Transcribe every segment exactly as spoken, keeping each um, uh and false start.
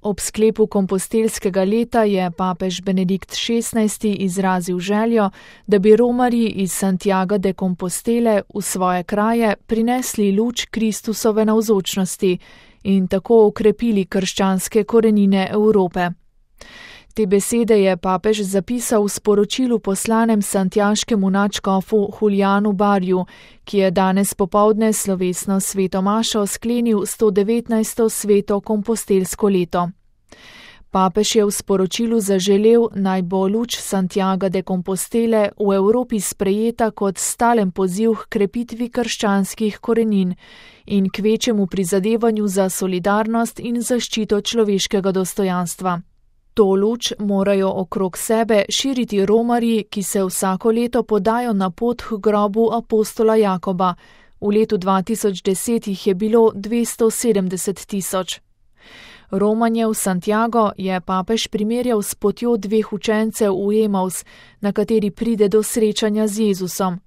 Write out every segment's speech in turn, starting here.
Ob sklepu kompostelskega leta je papež Benedikt šestnajsti izrazil željo, da bi romarji iz Santiaga de Compostele v svoje kraje prinesli luč Kristusove navzočnosti in tako okrepili krščanske korenine Evrope. Te besede je papež zapisal v sporočilu poslanem santiaškemu nadškofu Julianu Barju, ki je danes popoldne slovesno sveto mašo sklenil sto devetnajsto sveto kompostelsko leto. Papež je v sporočilu zaželel, naj bo luč Santiaga de Compostele v Evropi sprejeta kot stalen poziv k krepitvi krščanskih korenin in k večjemu prizadevanju za solidarnost in zaščito človeškega dostojanstva. To luč morajo okrog sebe širiti romarji, ki se vsako leto podajo na pot k grobu apostola Jakoba. V letu dva tisoč deset jih je bilo dvesto sedemdeset tisoč. Romanje v Santiago je papež primerjal s potjo dveh učencev v Emaus, na kateri pride do srečanja z Jezusom.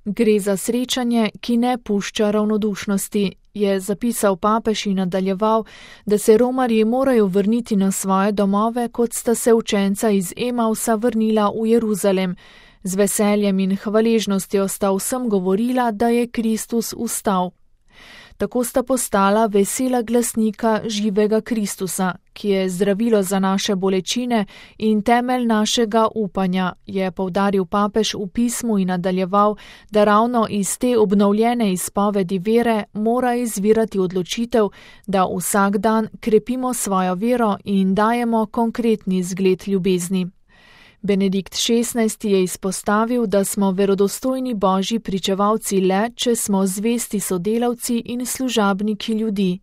Gre za srečanje, ki ne pušča ravnodušnosti, je zapisal papež in nadaljeval, da se romarji morajo vrniti na svoje domove, kot sta se učenca iz Emausa vrnila v Jeruzalem. Z veseljem in hvaležnostjo sta vsem govorila, da je Kristus vstal. Tako sta postala vesela glasnika živega Kristusa, ki je zdravilo za naše bolečine in temelj našega upanja, je poudaril papež v pismu in nadaljeval, da ravno iz te obnovljene izpovedi vere mora izvirati odločitev, da vsak dan krepimo svojo vero in dajemo konkretni zgled ljubezni. Benedikt šestnajsti je izpostavil, da smo verodostojni božji pričevalci le, če smo zvesti sodelavci in služabniki ljudi.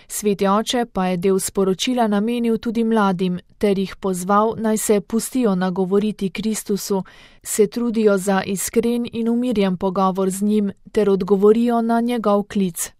Sveti oče pa je del sporočila namenil tudi mladim, ter jih pozval, naj se pustijo nagovoriti Kristusu, se trudijo za iskren in umirjen pogovor z njim, ter odgovorijo na njegov klic.